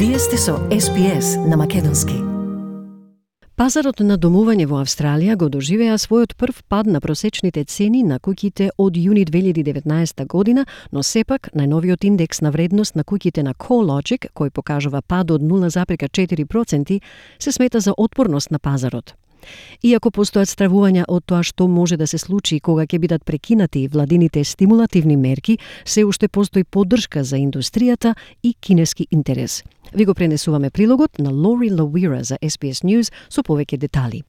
Вие сте со SPS на македонски. Пазарот на домување во Австралија го доживеа својот прв пад на просечните цени на куќите од јуни 2019 година, но сепак најновиот индекс на вредност на куќите на CoreLogic, кој покажува пад од 0,4%, се смета за отпорност на пазарот. Иако постојат стравувања од тоа што може да се случи кога ќе бидат прекинати владините стимулативни мерки, се уште постои поддршка за индустријата и кинески интерес. Ви го пренесуваме прилогот на Лори Лауира за SBS News со повеќе детали.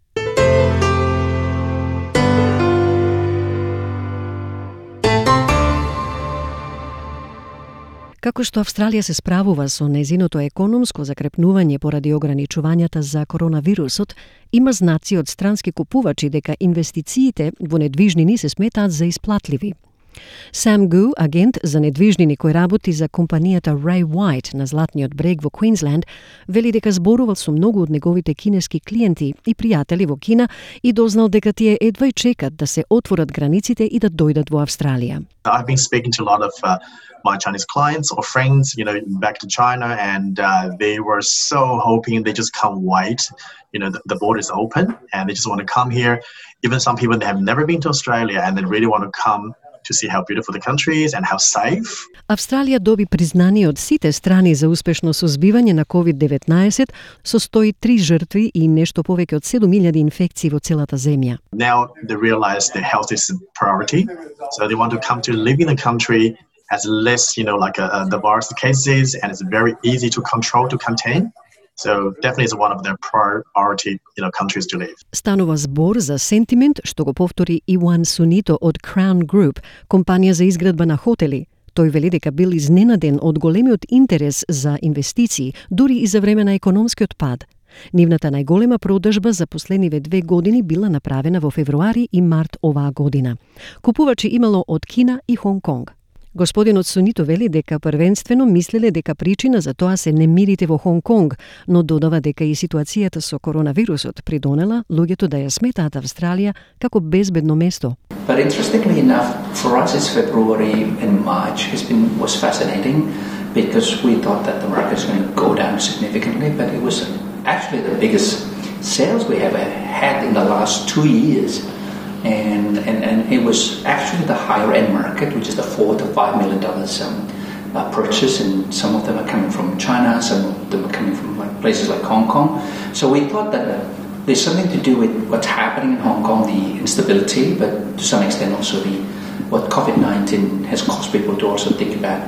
Како што Австралија се справува со незиното економско закрепнување поради ограничувањата за коронавирусот, има знаци од странски купувачи дека инвестициите во недвижнини се сметаат за исплатливи. Сам Гу, агент за недвижнини кој работи за компанијата Ray White на Златниот брег во Квинсленд, вели дека зборувал со многу од неговите кинески клиенти и пријатели во Кина и дознал дека тие едва и чекат да се отворат границите и да дојдат во Австралија. I've been speaking to a lot of my Chinese clients or friends, back to China, and they were so hoping they just can't wait. The border is open and they just want to come here. Even some people, they have never been to Australia and they really want to come to see how beautiful the country is and how safe. Австралија доби признание од сите страни за успешно сузбивање на COVID-19 со 103 жртви и нешто повеќе од 7.000 инфекции во целата земја. Now they realize their health is a priority, so they want to come to live in the country as less, the virus cases, and it's very easy to control, to contain. So definitely is one of their priority, countries to live. Станува збор за сентимент што го повтори Иван Сунито од Crown Group, компанија за изградба на хотели. Тој вели дека бил изненаден од големиот интерес за инвестиции, дури и за време на економскиот пад. Нивната најголема продажба за последниве 2 години била направена во февруари и март оваа година. Купувачи имало од Кина и Хонг Конг. Господинот Сунито вели дека првенствено мислеле дека причина за тоа се немирите во Хонг Конг, но додава дека и ситуацијата со коронавирусот придонела луѓето да ја сметаат Австралија како безбедно место. But interestingly enough, for us it's February and March was fascinating because we thought that the market was going to go down significantly, but it was actually the biggest sales we have had in the last 2 years. And it was actually the higher end market, which is the $4 to $5 million purchase, and some of them are coming from China, some of them are coming from places like Hong Kong. So we thought that there's something to do with what's happening in Hong Kong, the instability, but to some extent also what COVID-19 has caused people to also think about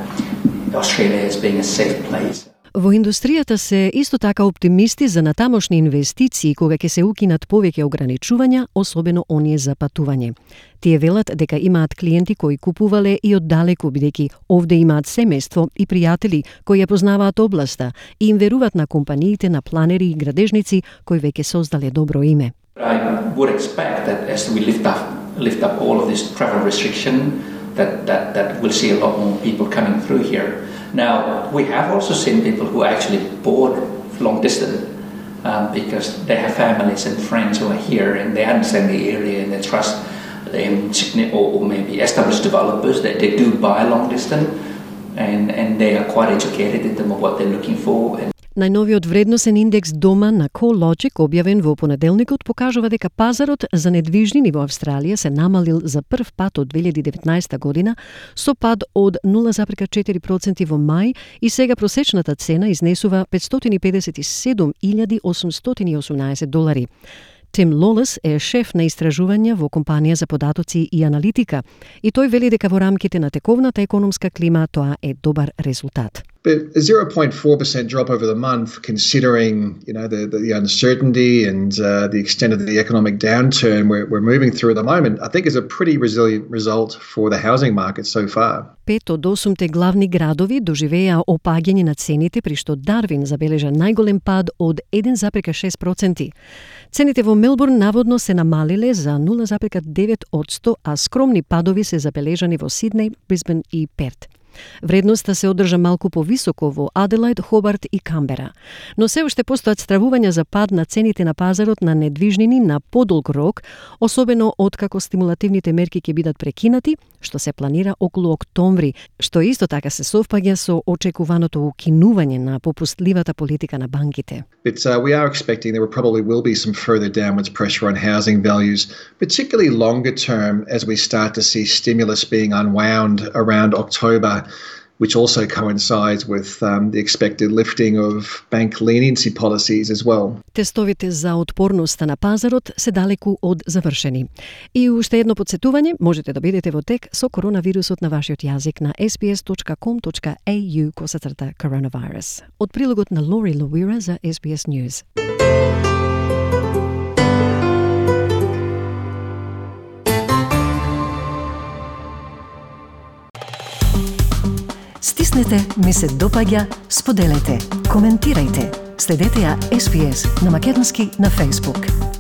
Australia as being a safe place. Во индустријата се исто така оптимисти за натамошни инвестиции кога ќе се укинат повеќе ограничувања, особено оние за патување. Тие велат дека имаат клиенти кои купувале и оддалеку, бидејќи овде имаат семејство и пријатели кои ја познаваат областа и им веруваат на компаниите на планери и градежници кои веќе создале добро име. I would expect that as we lift up all of this travel restriction that we'll see a lot more people coming through here. Now, we have also seen people who actually bought long distance because they have families and friends who are here and they understand the area and they trust or maybe established developers that they do buy long distance and they are quite educated in terms of what they're looking for. Најновиот вредносен индекс дома на CoreLogic, објавен во понеделникот, покажува дека пазарот за недвижнини во Австралија се намалил за прв пат од 2019 година, со пад од 0,4% во мај и сега просечната цена изнесува $557,818. Тим Лолес е шеф на истражувања во компанија за податоци и аналитика и тој вели дека во рамките на тековната економска клима тоа е добар резултат. But a 0.4% drop over the month, considering the uncertainty and the extent of the economic downturn we're moving through at the moment, I think is a pretty resilient result for the housing market so far. 5 од 8 главни градови доживеа опаѓање на цените, при што Дарвин забележа најголем пад од 1,6%. Цените во Мелбурн наводно се намалиле за 0,9%, а скромни падови се забележани во Сиднеј, Брисбен и Перт. Вредноста се одржа малку повисоко во Аделајд, Хобарт и Камбера. Но се уште постојат стравувања за пад на цените на пазарот на недвижнини на подолг рок, особено откако стимулативните мерки ќе бидат прекинати, што се планира околу октомври, што исто така се совпаѓа со очекуваното укинување на попустливата политика на банките. But we are expecting there probably will be some further downwards pressure on housing values, particularly longer term as we start to see stimulus being unwound around October, which also coincides with the expected lifting of bank leniency policies as well. Тестовите за отпорноста на пазарот се далеку од завршени. И уште едно подсетување, можете да бидете во тек со коронавирусот на вашиот јазик на sbs.com.au/coronavirus. Од прилогот на Лори Луира за SBS News. Стиснете, ми се допаѓа, споделете, коментирајте. Следете ја SBS на Македонски на Facebook.